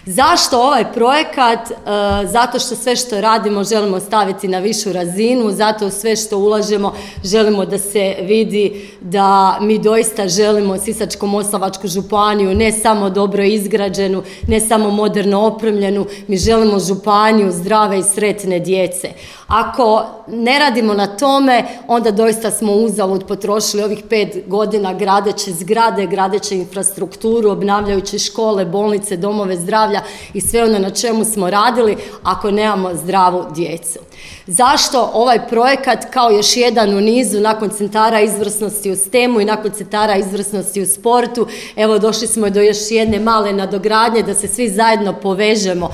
Zašto ovaj projekat? Zato što sve što radimo želimo staviti na višu razinu, zato sve što ulažemo želimo da se vidi da mi doista želimo Sisačko-moslavačku županiju ne samo dobro izgrađenu, ne samo moderno opremljenu, mi želimo županiju zdrave i sretne djece. Ako ne radimo na tome, onda doista smo uzalud potrošili ovih 5 godina gradeći zgrade, gradeći infrastrukturu, obnavljajući škole, bolnice, domove zdravlja i sve ono na čemu smo radili ako nemamo zdravu djecu. Zašto ovaj projekat kao još jedan u nizu nakon centara izvrsnosti u STEM-u i nakon centara izvrsnosti u sportu? Evo došli smo do još jedne male nadogradnje da se svi zajedno povežemo